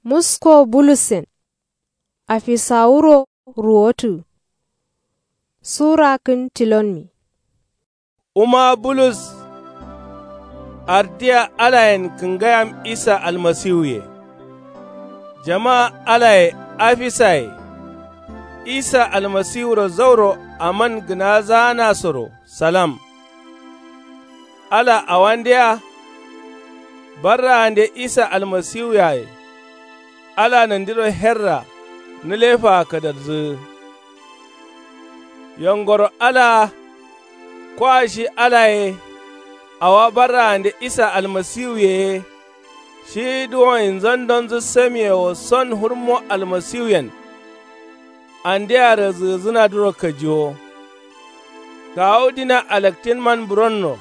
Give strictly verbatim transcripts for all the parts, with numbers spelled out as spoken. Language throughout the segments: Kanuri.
Musko bulussen. Afisawuro ruwotǝ. Sura kǝn tilonmi. Wuma bulus ardiya alayen kǝngayam isa almasiwuye. Jama alaye afisaye isa almasiwuro zauro aman gǝnazaanasoro salam. Ala awandeya barraande isa almasiwuyaye. Ala nandiro herra nǝlefaa kadarzǝgǝ. Yongoro alaa kwa shi alaye. Awa barraande isa almasiwuye ye shi duwonyi nzandonzǝ samiye wo son hurmo almasiwuyen. Andea razǝgǝzǝnadǝro kajiwo. Kawu dina alaktinman buronno.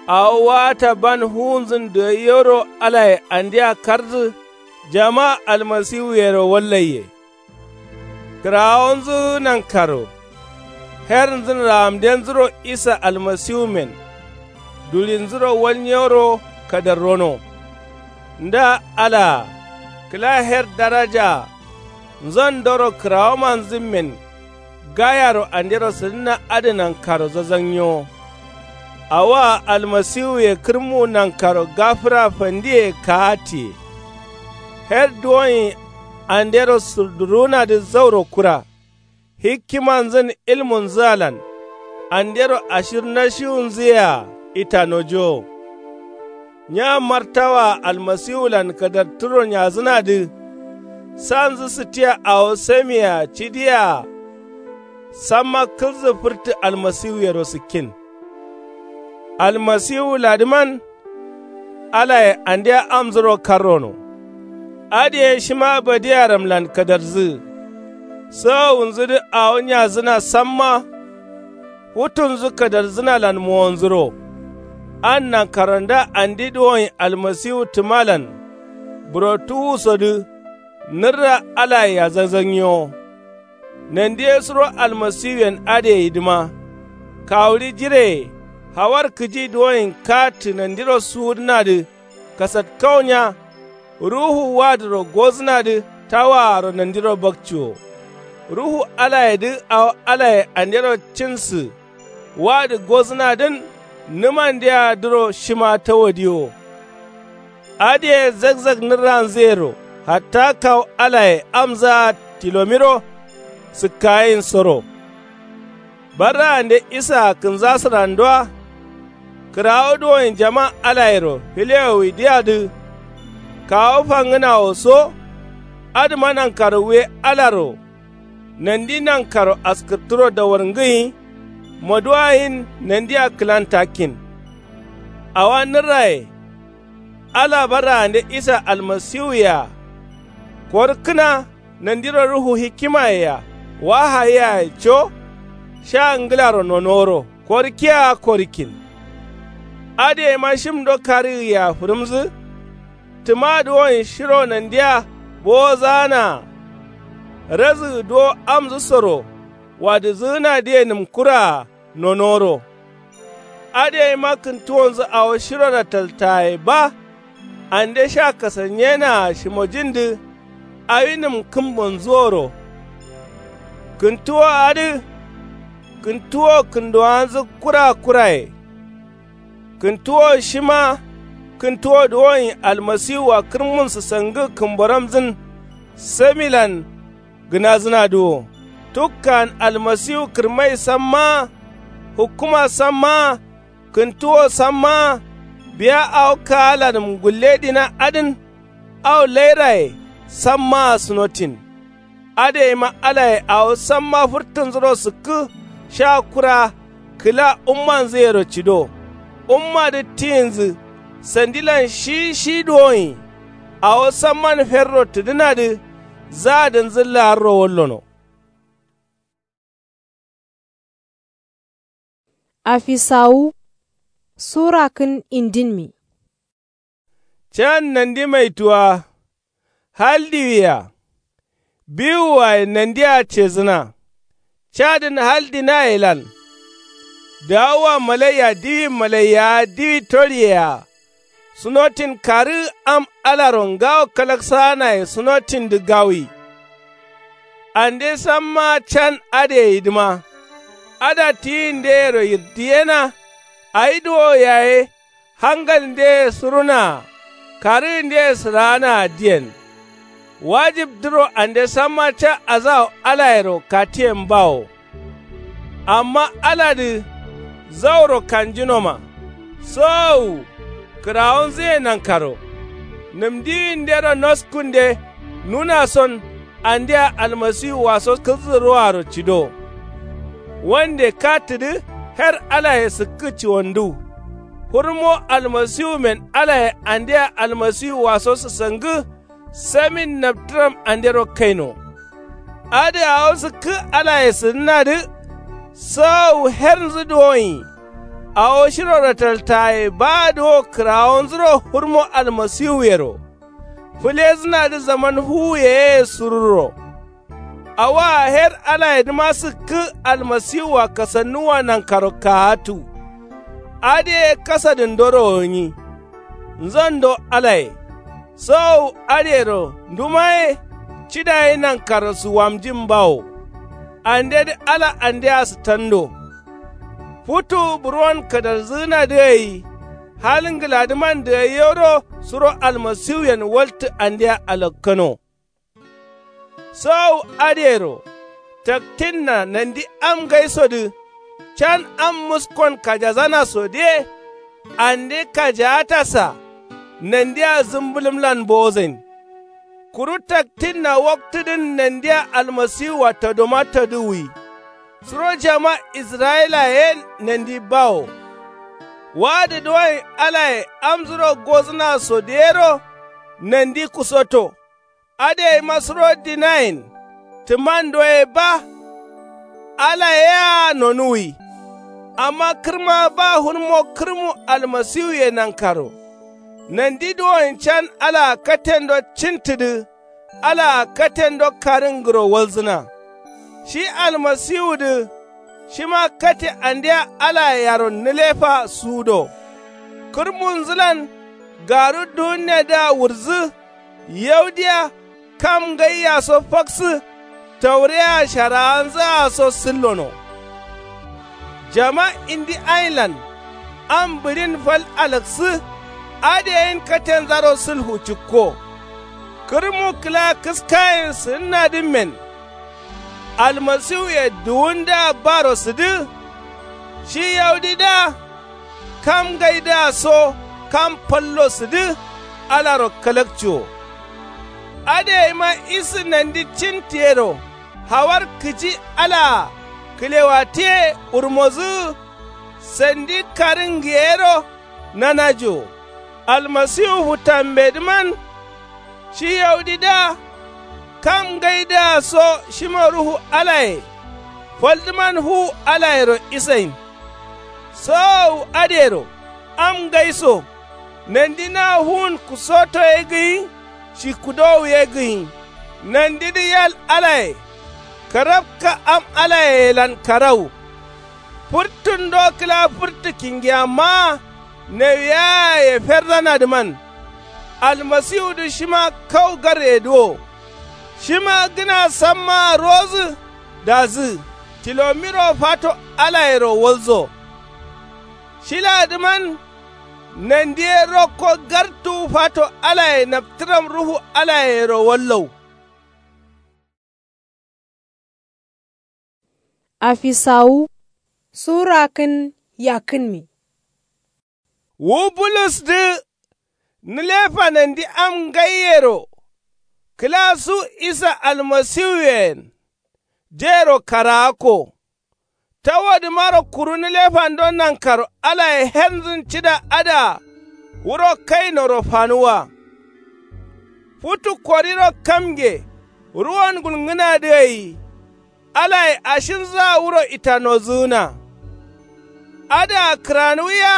Awo waata ban fuwunzǝn dǝgaiyoro alaye andea kardǝ. Jama almasiwuyero wallaiye. Kǝrawonzǝ nankaro hernzǝn raamdenzǝro isa almasiwumen. Dulinzǝro walnyeworo kadarrono. Nda alaa kǝla her darajaa nzandoro kǝrawomanzǝmmen. Gayaro andero sǝdǝnna adǝ nankaro zazannyewo. Awoa almasiwuye kǝrmu nankaro gafǝra fandiye kaattiye. Her duwonyi andero sǝrdurunadǝ zauro kura. Hikkimanzǝn ilmunzǝalan andero ashir nashiwunzǝyea itanojowo. Nya martawaa almasiwulan kadartǝro nyazǝnadǝ. Sanzǝ sǝtiya awo samiyea cidiyea. Samma kǝlzǝ fǝrtǝ almasiwuyero sǝkkin. Almasiwuladǝman alaye andea amzuro karrono. Adǝye shima badiyaramlan kadarzǝgǝ. Sawowunzudǝ awo nyazǝna samma. Futunzǝ kadarzǝnalan mowonzuro. An nankaranda andi duwonyi almasiwu tǝmalan. Burotuwusodǝ nǝrra alayea zazannyewo. Nandi ye suro almasiwuyen adǝ yedǝma. Kawuɍi jireye hawar kǝji duwonyin kaattǝ nandiro suwudǝnadǝ. Kasatkaunya ruhu wadǝro gozǝnadǝ tawaaro nandiro bakciwo. Ruhu alayedǝ awo alaye andero cinsǝ. Wadǝ gozǝnadǝn nǝmandeadǝro shima tawadiwo. Adǝye zakzak nǝrranzǝyero hatta kawu alaye amzaa tilomiro. Sǝkkayinsoro barraande isaa kǝnzasǝrandoa. Kǝrawo duwonyi jama alayero filewowidǝyadǝ. Kawu fangǝnawo so. Adǝma nankaro wuye alaro. Nandi nankaro askǝrturo dawarngǝnyi. Moduwayin nandia kǝlantakkin. Awa nǝrraye ala barraande isa almasiwuyea. Korkǝna nandiro ruhu hikimayea wahayiyaye co. Sha ngǝlaro nonoworo korkiyea korikkin. Adǝyeima shim do karǝgǝyea fǝrǝmzǝ. Tǝma duwonyi shiro nandia bowozaanaa. Razǝgǝ duwo amzǝsoro wadǝzǝgǝnadǝye nǝmkuraa nonoworo. Adǝyeima kǝntuwonzǝ awo shiro rataltaye ba. Ande sha kasanyenaa shimojindǝ awi nǝmkǝmbonzǝworo. Kǝntuwo adǝ kǝntuwo kǝndowanzǝ kura kuraye. Kǝntuwo shima kǝntuwo duwonyi almasiwua kǝrmun sǝsangǝ kǝmboramzǝn. Samilan gǝnazǝnadǝ wo tukkan almasiwu kǝrmai sammaa. Hukkuma sammaa kǝntuwo sammaa. Biya awo kaalanǝm gulledina adǝn. Awo lairaye sammaa sunotin. Adǝyeima alaye awo samma fǝrtǝnzuro sǝkkǝ. Sha kura kǝla ummanzǝyero cido. Ummadǝ tiyinzǝ sandilan shi shi duwonyi. Awo samman ferro tǝdǝnadǝ. Zaadǝnzǝ laarro wallono. Afisawu sura kǝn indinmi. Can nandi maituwa. Hal diwiya biwuwaye nandia cezǝna. Cadǝn hal dinayelan. Dawuwa malaiya diwi malaiya diwi toliyea. sunotin karǝgǝ am alaro ngawo kalaksaanaye sunotindǝ gawuyi. Ande samma can adǝ gǝyidǝma ada tiyindeyero yirdiyena. Awi duwo yaye hangalndeye surunaa karǝgǝndeye sǝraanaa diyen. Wajibdǝro ande samma ca azawo alayero katiyen bawo. Amma aladǝ zauro kanjinoma sowowu kǝrawonzuye nankaro. Nǝmdiwindero noskunde nunason andea almasiwuwaso kǝlzǝruaro cido. Wande katǝdǝ her alaye sǝkkǝ ciwonduw. Hurmo almasiwumen alaye andea almasiwuwaso sǝsangǝ samin naptǝram andero kaino. Adǝ awo sǝkkǝ alaye sǝdǝnadǝ sowowu hernzǝ duwonyi. Awo shiro rataltaye baadǝ wo kǝrawonzuro hurmo almasiwuyero fǝlezǝnadǝ zaman fuwuyeye sururro. Awaa her alayedǝma sǝkkǝ almasiwua kasannuwwa nankaro kaatǝ. Adǝye kasadǝndoro gǝnyi. Nzondo alaye sowowu adǝyero ndumaye cida ye nankaro suwamjin bawo. Andedǝ ala andea sǝtando. Futu buruwon kadalzǝgǝnadǝ gai hal ngǝladǝman dǝgaiyoro suro almasiwuyen waltǝ andea alakkano. Sowowu adǝyero taktinna nandi am ngaisodǝ can am muskon kajazanasodǝye. Ande kajaatasa nandia zǝmbǝlǝmlan bowozain. Kuru taktinna waktudǝn nandia almasiwua tadoma tadǝwwi. Suro jama israyilaye yen nandi bawo. Wadǝ duwonyi alaye amzuro gozǝnasodǝyero nandi kusoto. Adǝ gaima suro dinayen tǝmando ye ba. Ala yea nonuwwi. Amma kǝrma ba hurmo kǝrmu almasiwuye nankaro. Nandi duwonyi can alaa katendo cintǝdǝ alaa katendo karǝngǝro walzǝna. Shi almasiwudǝ shima kate andea alaa yaron nǝlefa sudo. Kǝrmunzǝlan garu duwunnedǝa wurdzǝ. Yaudiya kam ngaiya so faksǝ. Taureya sharawanzǝa so sǝllono. Jama indi ainlan am bǝɍin fal alaksǝ. Adǝ yen katenzaro sǝlhu cǝkko. Kǝrmu kǝla kǝskayen sǝgǝnnadǝmmen. Almasiwuye duwundǝa baro sǝdǝ. Shi yaudidǝa kam ngaidǝa so kam fallo sǝdǝ. Alaro kalakci wo. Adǝ gaima isǝ nandi cintǝ yero hawar kǝji alaa kǝlewatǝye wurmozǝgǝ. Sandi karǝngǝ yero nanaji wo. Almasiwu futambedǝman shi yaudidǝa kam ngaidǝa so shima ruhu alaye. Faldǝman fuwu alayero isain. Sowowu adǝyero am ngaiso nandi na fuwun kusoto ye gǝnyi. Shi kudowu ye gǝnyi. Nandidǝ yal alaye karabka am alayelan karawu. Fǝrtǝndo kǝla fǝrtǝ kingiyammaa nawiyaye ferdanadǝman. Almasiwudǝ shima kau gargedǝ wo. Shima gǝna sammaa rowodǝ dazǝ tilomiro fato alayero walzo. Shiladǝman nandi ye rokko gartuwu fato alaye naptǝram ruhu alayero wallau. Afisawu sura kǝn yakkǝnmi. Wu bulus dǝ nǝlefa nandi am ngaiyero kǝla su isa almasiwuyen jero karaakko. Tawodǝmaro kuru nǝlefando nankaro alaye hernzǝn cida adǝa wuro kainoro fanuwwa. Futu koriro kamge ruwon gulngǝnadǝ gai alaye ashirnzǝa wuro itanozǝgǝna. Adǝa kǝranuwiya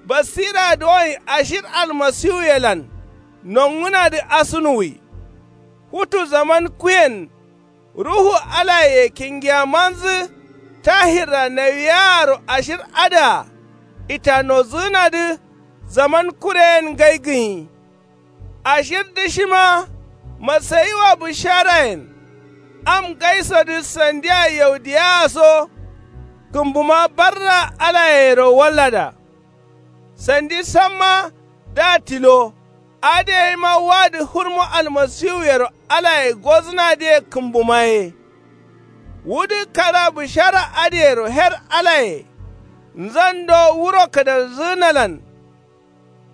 basira duwonyi ashir almasiwuyelan nongǝnadǝ asunuwwi. Futu zaman kuyen ruhu alaye kingiyamanzǝ tahirra nawiyaaro ashir adǝa itanozǝgǝnadǝ. zaman kureyen ngai gǝnyi. Ashir dǝ shima masayiwa bǝsharayen am ngaisodǝ sandiya yaudiyawa so kǝmbuma barra alayero wallada. Sandi samma da tilo adǝ yaima wadǝ hurmo almasiwuyero alaye gozǝnadǝye kǝmbuma ye. Wudǝ kada bǝshara adǝyero her alaye nzan do wuro kǝdarzǝgǝnalan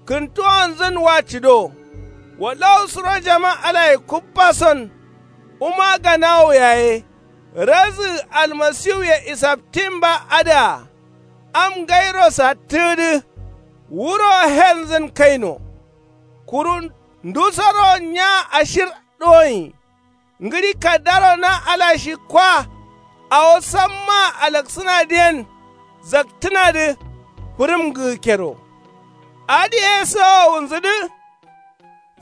kǝntuwonzǝn wa cǝdo. Wallau suro jaman alaye kubbason wuma ganawo yaye razǝgǝ almasiwuye isaptin ba adǝa am ngairo sattǝgǝdǝ wuro henzǝn kaino. Kuru ndusoro nya ashir doyin ngǝɍi kaddaro na ala shi kwa awo sammaa alaksǝnadǝyen zaktǝnadǝ fǝrǝm gǝgǝkkero. Adǝ ye sowowunzǝdǝ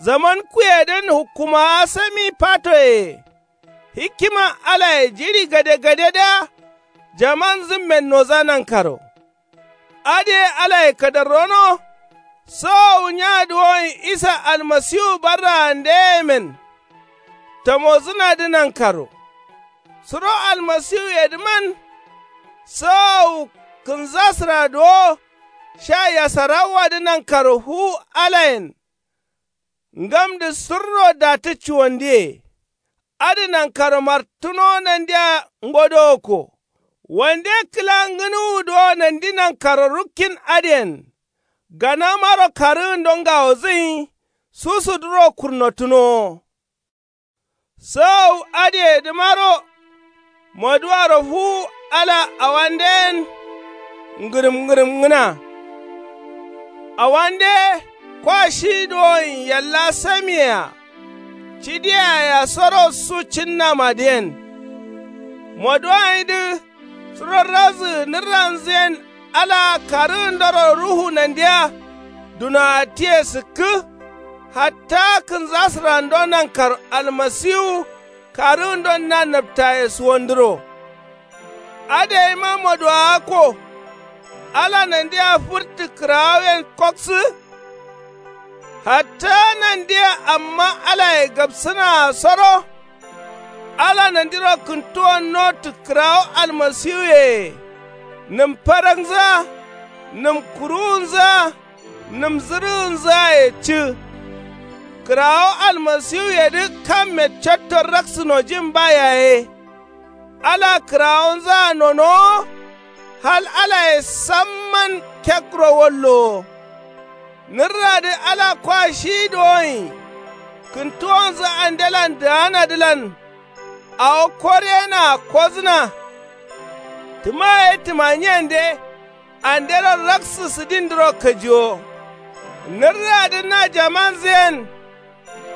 zaman kuyedǝn hukkumawa sami fatoye. Hikima alaye jiɍi gade gadedǝa jamanzǝmmen noza nankaro. Adǝ ye alaye kadarrono sowowu nya duwoyin isa almasiwu barraandeyemen tamozǝnadǝ nankaro. Suro almasiwuyedǝman sowowu kǝnzasǝra duwo sha yasarawwadǝ nankaro fuwu alayen ngamdǝ surro datǝ cuwandiye. Adǝ nankaro martǝnowo nandia ngodowokko wande kǝla ngǝnuwu duwo nandi nankaro rukkin adǝyen ganamaro karǝgǝndo ngawozǝnyi susuduro kurnotǝnowo. Sowowu adǝyedǝmaro moduwaro fuwu ala awandǝyen ngǝrǝm ngǝrǝmngǝna. Awande kwa shi duwoyin yalla samiyea cidiyayea soro su cǝnnamadǝyen. Moduwayindǝ suro razǝgǝ nǝrranzǝyen alaa karǝgǝndoro ruhu nandia dunoattiye sǝkkǝ. Hatta kǝnzasǝrando nankaro almasiwu karǝgǝndon na nabtaye suwandǝro. Adǝ yaima moduwawakko ala nandia fǝrtǝ kǝrawoyen koksǝ. Hatta nandia amma alaye gabsǝnaa soro ala nandiro kǝntuwon notǝ kǝrawo almasiwuyeye nǝm farangzǝa nǝm kuruwunzǝa nǝm zǝrǝgǝnzǝaye cǝ. Kǝrawo almasiwuyedǝ kamme cotto raksǝnojin ba yaye. Ala kǝrawonzǝa nonowo hal alaye samman kekro wallowo. Nǝrradǝ ala kwa shi dowoyin kǝntuwonzǝ andelan dǝganadǝlan awo koryenaa kozǝna. Tǝma ye tǝmanyiyende andero raksǝ sǝdindǝro kajiwo. Nǝrradǝ na jamanzǝyen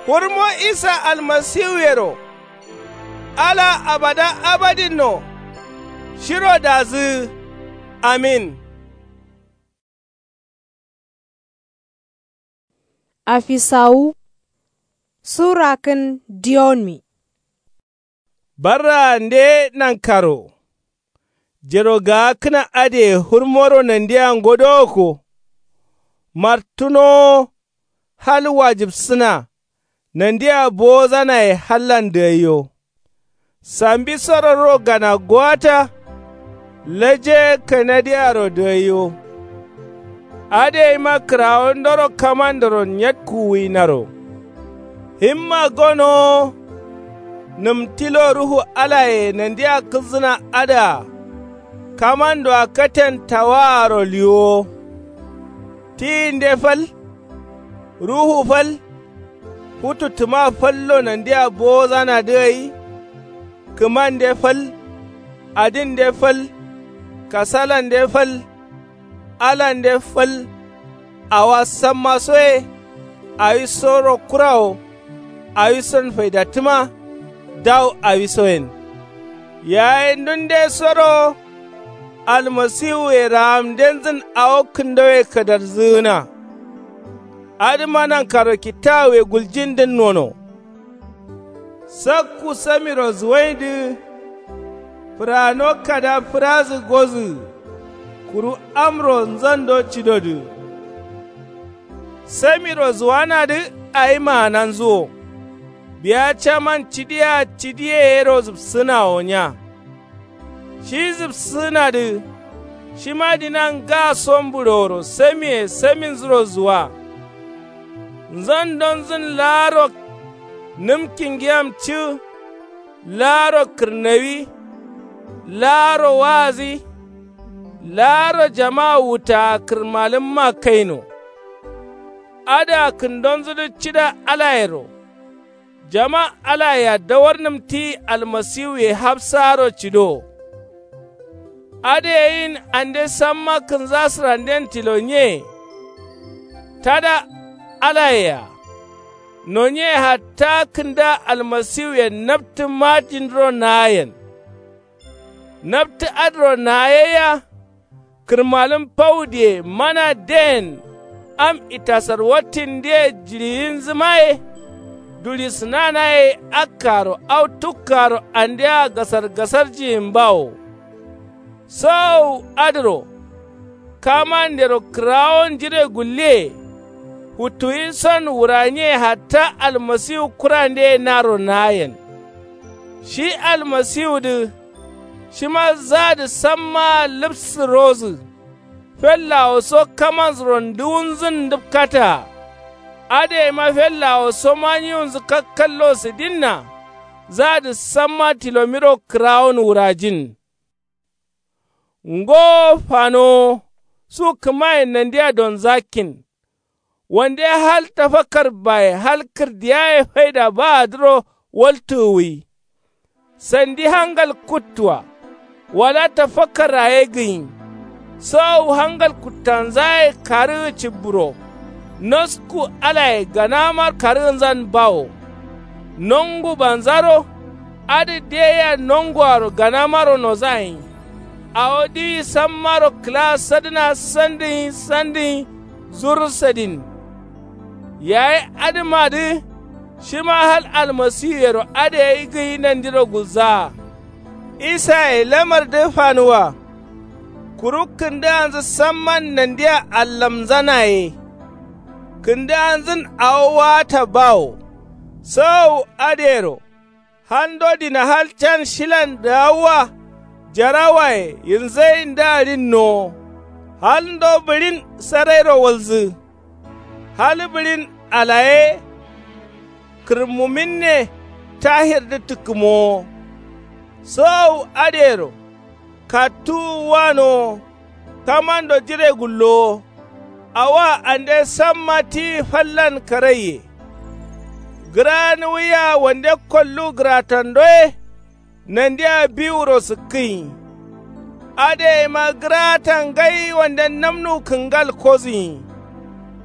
hurmo isa almasiwuyero ala abada abadinno. Shiro dazǝgǝ. Amin. Afisawu sura kǝn diyonmi. Barraande nankaro jero gaakkǝna adǝye hurmoro nandia ngodowokko. Martǝnowo hal wajibsǝna nandia bowozanaye hallan dǝgaiyo. Sambi sororo gana gowata laje kanadiyaro dǝgaiyo. Adǝ yaima kǝrawondoro kamandoro nyatkuwuinaro. Himma gonowo nǝm tilo ruhu alaye nandia kǝlzǝna adǝa kamandoa katen tawaaro liwowo. Tiyinde fal ruhu fal futu tǝma fallo nandia bowozanadǝ gai. Kǝmande fal adinde fal kasalande fal alande fal. Awa samma soye awisoro kurawo awison faidattǝma. Dawu awisoyen yaye ndunde soro almasiwuye rahamdenzǝn awo kǝndowe kadarzǝgǝna. Adǝma nankaro kitawuye guljindǝn nono. Sakku samiro zuwaindǝ fǝrano kada fǝrazǝ gozǝgǝ kuru amro nzando cidodǝ. Samiro zuwanadǝ awi maananzuwo. Biya caman cidi yea cidi ye yero zǝpsǝnawo nya. Shi zǝpsǝnadǝ shima dina nga sombǝɍoworo samiye saminzuro zuwa. Nzandonzǝn laaro nǝm kingiyam cǝ. Laaro kǝrnawi. Laaro waazi. Laaro jamaa wuttaa kǝrmalǝmma kaino. Adǝa kǝndonzudǝ cida alayero. Jama alayea dawarnǝm ti almasiwuye hafsaaro cido. Adǝ yeyin ande samma kǝnza sǝranden tilo nye. Tada alayea nonye hatta kǝnda almasiwuyen naptǝ majindǝro naayen. Naptǝ adǝro naayeyya. Kǝrmalǝm faudiye mana den am itasar wattindǝye jiɍiyinzǝmaye. Duɍi sǝnanaye akkaro au tukkaaro andea gasargasarjiyimbawo. Sowowu adǝro kamandero kǝrawon jire gulliye. Futtuwinson wuranye hatta almasiwu kurandeye naro naayen. Shi almasiwudǝ shima zadǝ sammaa lǝpsǝrozǝ. Fellawoso kamanzuro nduwunzǝn ndǝpkataa. Adǝyeima fellawoso manyiwunzǝ kakkallo sǝdinna. Zadǝ samma tilomiro kǝrawon wurajin. Ngo fanowo su kǝmayen nandia donzakkin. Wande hal tafakkar baye hal kǝrdiyaye faida baadǝro waltǝgǝwwi. Sandi hangal kuttua. Wala tafakkarra ye gǝnyi. Sowowu hangal kuttanzaye karǝgǝ cibburo. Nosku alaye ganamar karǝgǝnzan bawo. Nongu banzaro. Adǝ diyeyya nonguaro ganamaro nozayin. Awo diwi sammaro kǝla sadǝna sandǝnyi sandǝnyi. Zursadin. Yayi adǝmadǝ shima hal almasiwuyero adǝ gai gǝnyi nandiro gulzaa. Isaye lamardǝ fanuwa. Kuru kǝndǝganzǝ samman nandia allamzanaye. Kǝndǝganzǝn awo waata bawo. Sowowu adǝyero. Hando dina hal can shilan dǝgawwa. Jarawaye yinzayin dǝ adin nowo. Halndo bǝɍin sarairo walzǝ. Hal bǝɍin alaye. Kǝrmuminne tahirdǝ tǝkkǝmowo. Sowowu adǝyero. Kattuwu wanowo. Kamando jire gullowo. Awoa ande samma tiyi fallan karaiye. Gǝranuwuya wande kollu gǝratandoye. Nandia biwuro sǝkkǝnyi. Adǝyeima gǝrata ngai wande namnu kǝngal kozuyi.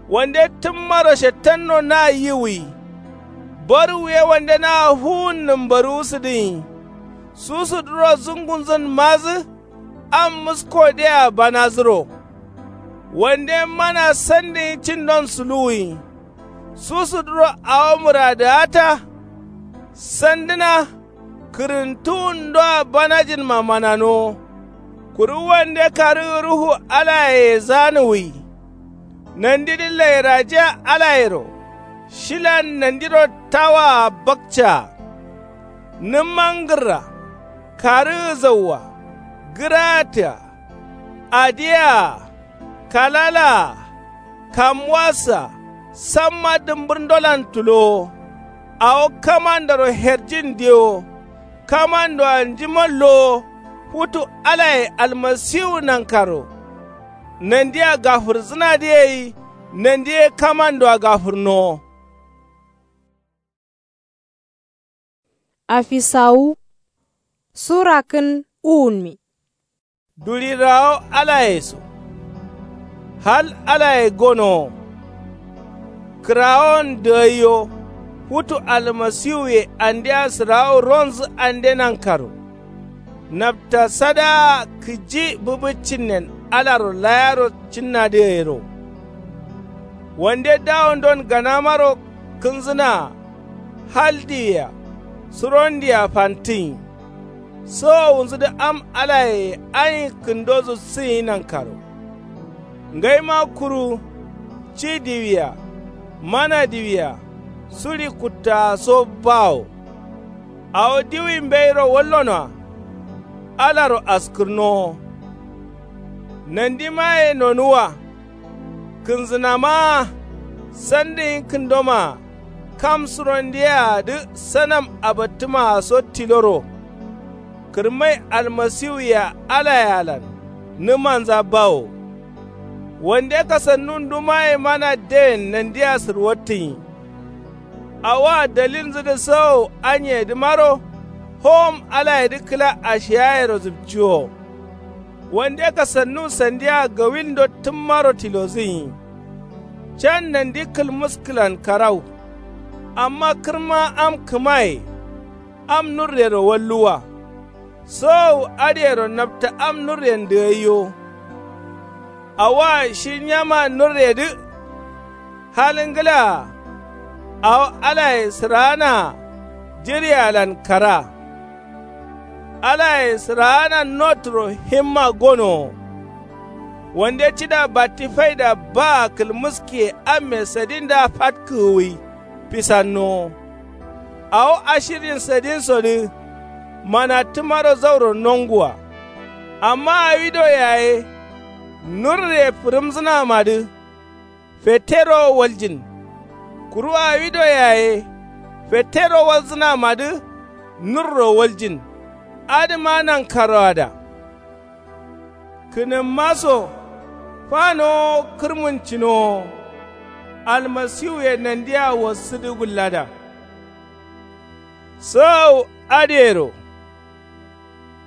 Wande tǝmmaro shettanno na yiwuyi. Barwuye wande na fuwun nǝmbaruwu sǝdǝnyi. Susudǝro zungunzǝn mazǝ. Am mǝskodea banazǝro. Wande mana sandǝnyi cindon suluwuyi. Susudǝro awo mǝradǝgata. Sandǝna. Kǝrǝntuwundoa banajinma mananowo. Kuru wande karǝgǝ ruhu alayeye zanuwuyi. Nandidǝ lairajiya alayero. Shilan nandiro tawaa bakcaa. Nǝmma ngǝrra. Karǝgǝ zaua. Gǝraatǝa. Adiyea. Kalalaa. Kamuwassa. Samma dǝmbǝrndolan tulowo. Awo kamandoro herjin diyewo. Kamandoa njima lowo. Futu alaye almasiwu nankaro. Nandia gafǝrzǝnadǝ gai. Nandi ye kamandoa gafǝrnowo. Afisawu. Sura kǝn uwunmi. Duɍirawo alaye so. Hal alaye gonowo. Kǝrawon dǝgaiyo. Futu almasiwuye andea sǝrawo ronzǝ ande nankaro. Napta sadaa kǝji bǝbǝccinnen alaro layaro cinnadǝ gairo. Wande dawondon ganamaro kǝnzǝnaa. Hal diwia surondia fantǝnyi. Sowowunzǝdǝ am alayeye ayin kǝndo zubsǝnyi nankaro. Ngaima kuru ci diwia. Mana diwia suɍi kuttaa so bawo. Awo diwi mbeiro wallonoa alaro askǝrnowo. Nandimaye nonuwwa. Kǝnzǝnamaa sandǝ nyi kǝndomaa kam surondeyeadǝ sanam abattǝmaa so tiloro. Kǝrmai almasiwuyea alayealan nǝmanza bawo. Wande kasannu ndumaye mana dewen nandea sǝrwattǝnyi. Awoa dalilnzǝdǝ sawo anyiyedǝmaro howom alayedǝ kǝla ashiyayero zǝpciwo. Wande kasannu sandia gawilndo tǝmmaro tilozǝnyi. Can nandi kǝlmǝskǝlan karau. Amma kǝrma am kǝmaye. Am nurrero walluwwa. Sowowu adǝyero napta am nurren dǝgaiyo. Awoa shi nyama nurredǝ. Hal ngǝlaa. Awo alaye sǝraanaa jǝrialan karaa. Alaye sǝraana noturo himma gonowo. Wande cida batti faida baa kǝlmǝskiye amme sadinda fatkǝgǝwwi. Pisannowo. Awo ashiryin sadinsodǝ. Manattǝmaro zauro nonguwa. Amma awido yaye nurre fǝrǝmzǝnamadǝ. Fettero waljin. Kuru awido yaye fettero walzǝnamadǝ. Nurro waljin. Adǝma nankaroada. Kǝnǝmma so fanowo kǝrmǝncinowo. Almasiwuye nandia wassǝdǝ gullada. Sǝgau adǝyero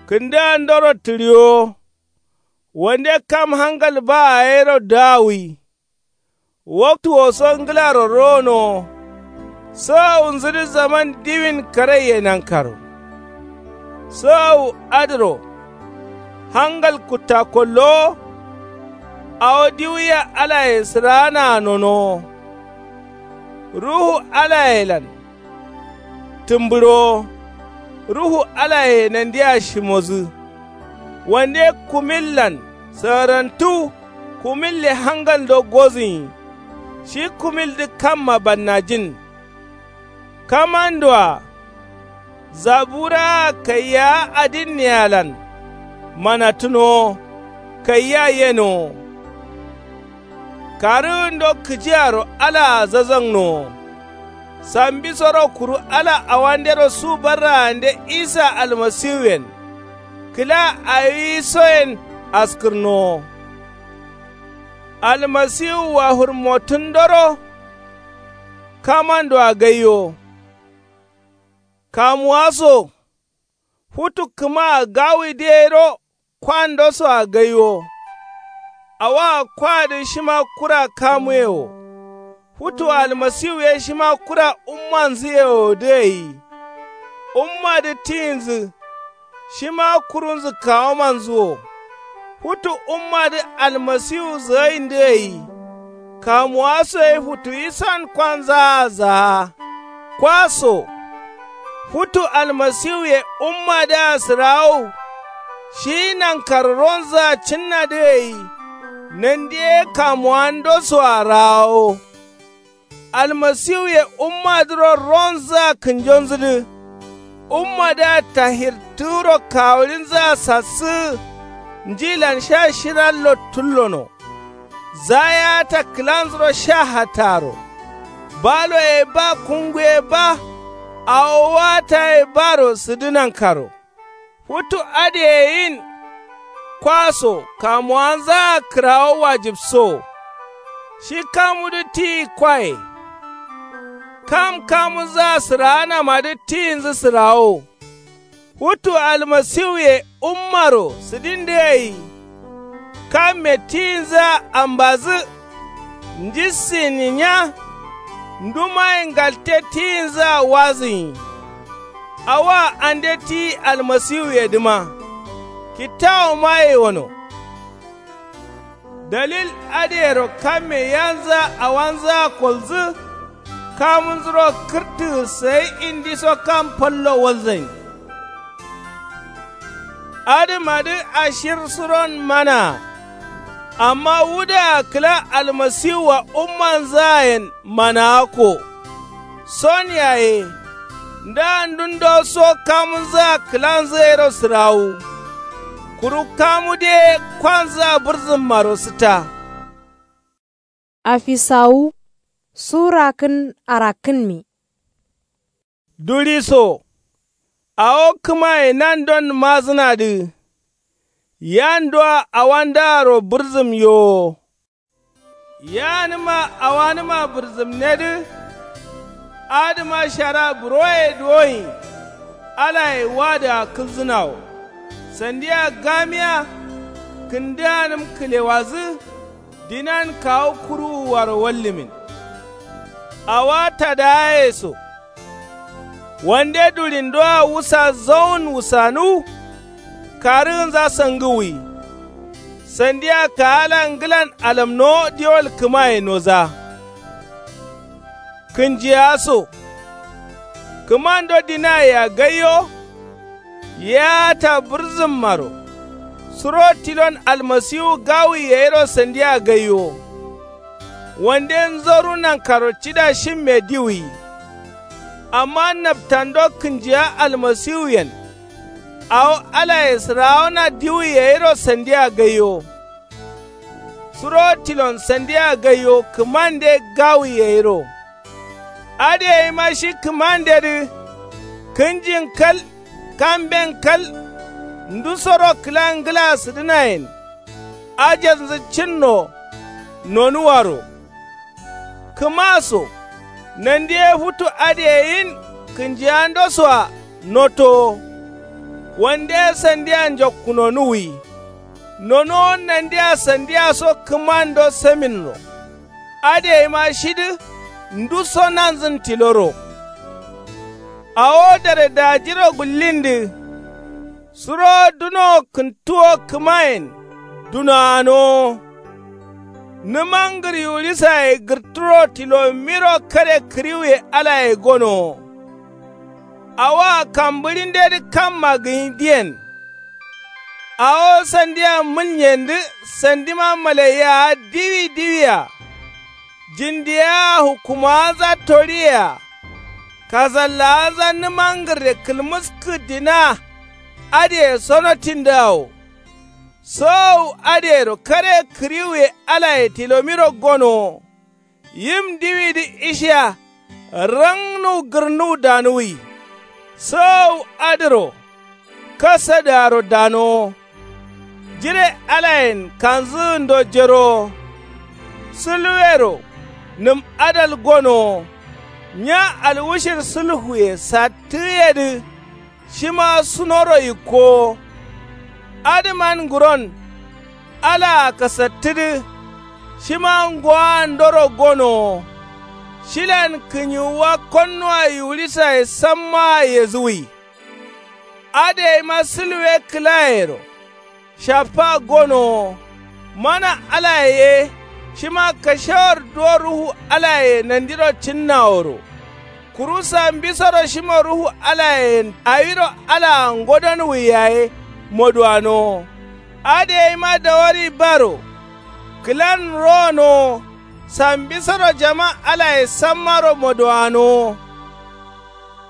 kǝndǝandoro tǝɍiwo. Wande kam hangal baa yero dǝgawwi. Waktuwo so ngǝlaro ronowo. Sǝgawunzǝdǝ zaman diwin karaiye nankaro. Sǝgawu adǝro hangal kuttakollowo. Awo diwuya alaye sǝraanaa nonowo. Ruhu alayelan tǝmbǝɍowo. Ruhu alaye nandia shimodǝ. Wande kumillan sǝgǝrantu. Kumille hangaldo gozǝnyi. Shi kumildǝ kamma bannajin. Kamandoa zaburaa kaiyawa adinnealan. Manattǝnowo kaiya yenowo. Karǝgǝndo kǝjiaro alaa zazangnowo. Sambisoro kuru ala awandero su barraande isa almasiwuyen kǝla awisoyen askǝrnowo. Almasiwua hurmottǝndoro kamandoa gaiwo. Kamuwa so futu kǝmaa gawuwi dǝ yero kwandosoa gaiwo. Awoa kwadǝ shima kura kamuye wo. Futu almasiwu ye shima kura ummanzǝye wo dǝ gai. Ummadǝ tiyinzǝ shima kurunzǝ kawomanzǝ wo. Futu ummadǝ almasiwu zǝgaindǝ gai. Kamuwa so ye futu isan kwanzaa zaa. Kwa so futu almasiwuye ummadǝa sǝrawo. Shi nankaro ronzǝa cǝnnadǝ gai. Nandi ye kamuwandosoa rawo. Almasiwuye ummadǝro ronzǝa kǝnjonzǝdǝ. Ummadǝa tahirtǝgǝro kawuɍinzǝa sassǝgǝ. Njilan sha shirallo tullono. Zayata kǝlanzuro sha hattaro. Baloye ba kunguye ba. Awo wataye baro sǝdǝ nankaro. Futu adǝyeyin. Kwa so kamuwanzaa kǝrawo wajibso. Shi kamudǝ tiyi kwaye. Kam kamunzaa sǝraanamadǝ tiyinzǝ sǝrawo. Futu almasiwuye ummaro sǝdindǝ gai. Kamme tiyinzǝa ambazǝ. Njissǝ ninya. Ndumaye ngalte tiyinzǝa wazǝnyi. Awoa ande tiyi almasiwuyedǝma. Kittawomaye wono. Dalil adǝyero kamme yanzǝa awanzǝa kolzǝ. Kamunzuro kǝrtǝgǝ sai indiso kam fallo walzain. Adǝmadǝ ashir suron manaa. Amma wudǝa kǝla almasiwua ummanzǝayen managakko. Son yaye nda ndundo so kamunzǝa kǝlanzǝ gairo sǝrawu. Kuru kamude kwanzǝa bǝrzǝmmaro sǝtta. Afisawu su rakǝn arakkǝnmi. Duriso awo kǝmaye nandon mazǝnadǝ. Yandoa awandaaro bǝrzǝm yowo. Yanǝma awanǝma bǝrzǝmnedǝ. Adǝma shara buroye duwoin alaye wadǝa kǝlzǝnawo. Sandia gamiya kǝndǝanǝm kǝlewazǝ. Dinan kawu kuruwuaro wallǝmin. Awa tadaye so wande durindoa wusa zowun wusanuw. Karǝgǝnza sangǝwwi. Sandia kaala ngǝlan alamnowo diwol kǝmaye noza. Kǝnjiya so kǝmando dinayea gaiyo. Yaata bǝrzǝmmaro suro tilon almasiwu gawuye gairo sandia gaiyo. Wande nzoru nankaro cida shimme diwuyi. Amma naptando kǝnjiya almasiwuyen awo alaye sǝrawona diwuye gairo sandia gaiyo. Suro tilon sandia gaiyo kǝmande gawuye gairo. Adǝ gaima shi kǝmandedǝ kǝnjin kal kamben kal. Ndusoro kǝla ngǝla sǝdǝnayen ajanzǝ cǝnno. Nonuwaro kǝma so nandi ye futu adǝ ye yin kǝnjiyando soa notowo. Wande ye sandia njokkunonuwwi. Nonuwo nandia sandia so kǝmando saminro. Adǝ gaima shidǝ nduso nanzǝn tiloro. Awo dare dajiro gullindǝ suro dunowo kǝntuwo kǝmayen dunoanowo. Nǝmangǝr yiwulisaye gǝrturo tilomiro kare kǝriwuye alaye gonowo. Awoa kambǝɍindedǝ kamma gǝnyi diyen. Awo sandia mǝlnyendǝ sandima malaiya diwi diwia. Jindiyaa hukkumawanza toriye-a. Kasallawanza nǝmangǝrre kǝlmǝskǝ dina. Adǝye sonotindǝawo. Sowowu adǝyero kare kǝriwuye alaye tilomiro gonowo. Yim diwidǝ ishiya rangnuw gǝrnuw danuwi. Sowowu adǝro kasadǝaro danowo. Jire alayen kanzǝgǝndo jerowo. Sǝlwero nǝm adal gonowo. Nya alwushir sǝlhuye sattǝgǝyedǝ. Shima sunoro yikkowo. Adǝman nguron alaa kasattǝdǝ. Shima ngowoandoro gonowo. Shilan kǝnyiwuwa konnuwa yiwulisaye sammaa yezǝwwi. Adǝ gaima sǝlwe kǝlayero shaffa gonowo. Mana alaye ye shima kashewar duwo ruhu alaye nandiro cǝnnaworo. Kuru sambisoro shima ruhu alayen awiro alaa ngodonwwi yaye moduwanowo. Adǝ gaima dawari baro kǝlan ronowo. Sambisoro jama alaye sammaro moduwanowo.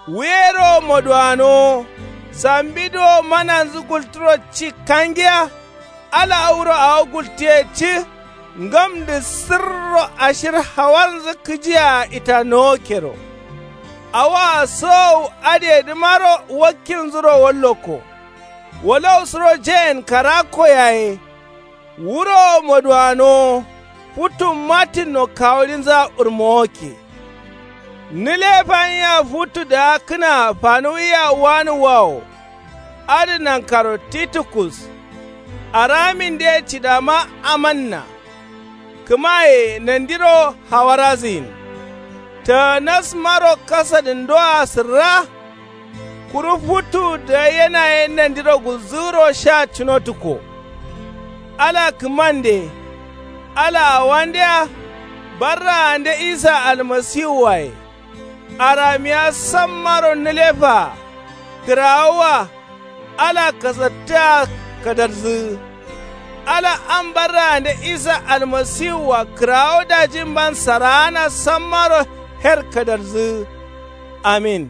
Wuyero moduwanowo. Sambidǝ wo mananzǝ gulturo ci kangiya. Ala wuro awo gultiye ci ngamdǝ sǝrro ashir hawarnzǝ kǝjia itanowo kero. Awoa sowowu adǝyedǝmaro wakkinzuro wallokko. Walau suro jeyen karakko yaye. Wuro moduwanowo. Futu mattinno kawuɍinza urmowokke. Nǝlefa nyia futu daakkǝnaa fanuwiya wanǝwwawo. Adǝ nankaro titukus. Araminde cidama amanna. Kǝmaye nandiro hawarazǝyin. Tanasmaro kasadǝndoa sǝrra. Kuru futu dayena ye nandiro gulzǝgǝro sha cunotukko. Ala kǝmande. Ala awandea. Barraande isa almasiwuwaye. Aramiya sammaro nǝlefaa. Kǝrawuwa. Ala kasattǝa kadarzǝgǝ. Ala am barrande isa almasiwua kǝrawo dajimban saraana sammaro her kadarzǝ. Amin.